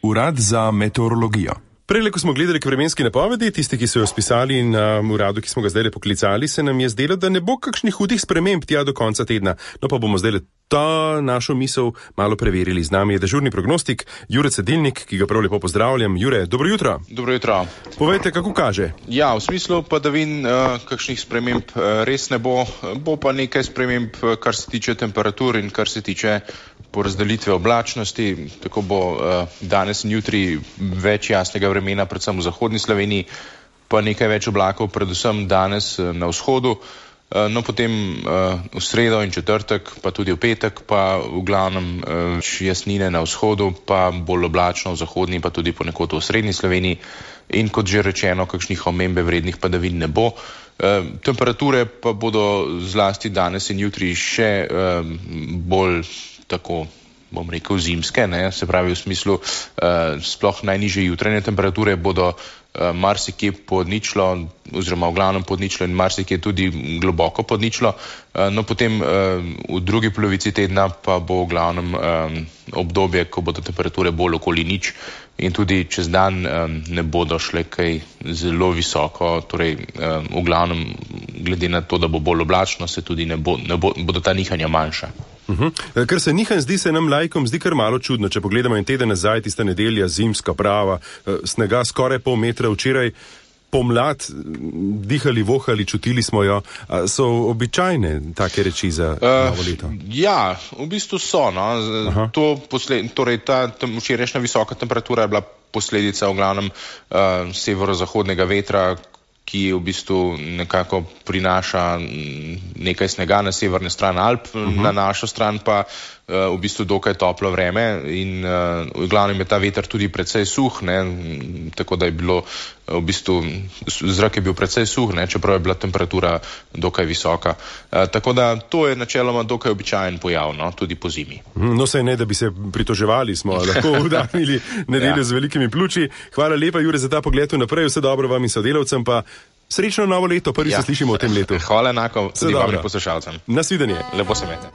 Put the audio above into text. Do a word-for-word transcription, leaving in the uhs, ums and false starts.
Urad za meteorologijo. Prej, ko smo gledali k vremenski napovedi, tisti, ki so jo spisali na um, uradu, ki smo ga zdaj poklicali, se nam je zdelo, da ne bo kakšnih hudih sprememb tja do konca tedna. No pa bomo zdaj ta našo misel malo preverili. Z nami je dežurni prognostik Jure Cedilnik, ki ga prav lepo pozdravljam. Jure, dobro jutro. Dobro jutro. Povejte, kako kaže? Ja, v smislu padavin uh, kakšnih sprememb uh, res ne bo. Bo pa nekaj sprememb, uh, kar se tiče temperatur in kar se tiče porazdelitve oblačnosti. Tako bo uh, danes in jutri več jasnega vremena, predvsem v zahodni Sloveniji, pa nekaj več oblakov, predvsem danes uh, na vzhodu. No, potem uh, v sredo in četrtek, pa tudi v petek, pa v glavnem uh, jasnine na vzhodu, pa bolj oblačno v zahodni, pa tudi ponekod v srednji Sloveniji. In kot že rečeno, kakšnih omembe vrednih padavin ne bo. Uh, temperature pa bodo zlasti danes in jutri še uh, bolj tako, bom rekel, zimske, ne? Se pravi v smislu uh, sploh najnižje jutranje temperature bodo uh, marsikje pod ničlo, oziroma v glavnem pod ničlo in marsikje tudi globoko pod ničlo. Uh, no potem uh, v drugi polovici tedna pa bo v glavnem um, obdobje, ko bodo temperature bolj okoli nič in tudi čez dan um, ne bodo šle kaj zelo visoko, torej um, v glavnem glede na to, da bo bolj oblačno, se tudi ne, bo, ne bo, bodo ta nihanja manjša. Uhum. Kar se nihanj zdi, se nam laikom zdi kar malo čudno. Če pogledamo en teden nazaj, tista nedelja, zimska prava, snega skoraj pol metra, včeraj pomlad, dihali, vohali, čutili smo jo. So običajne take reči za uh, novo leto? Ja, v bistvu so. No. To posled, torej ta včerajšnja visoka temperatura je bila posledica v glavnem uh, severozahodnega vetra, ki v bistvu nekako prinaša nekaj snega na severne stran Alp, uh-huh. Na našo stran pa uh, v bistvu dokaj toplo vreme in uh, v glavnem je ta veter tudi precej suh, ne, tako da je bilo v bistvu, zrak je bil precej suh, ne, čeprav je bila temperatura dokaj visoka. Uh, tako da to je načeloma dokaj običajen pojav, no, tudi po zimi. No saj ne, da bi se pritoževali, smo lahko udarili nedeljo ja. Z velikimi pljuči. Hvala lepa, Jure, za ta pogled vnaprej, vse dobro vam in sodelavcem, pa srečno novo leto, prvi ja. Se slišimo v tem letu. Hvala enako tudi vam in poslušalcem. Nasvidenje. Lepo se imejte.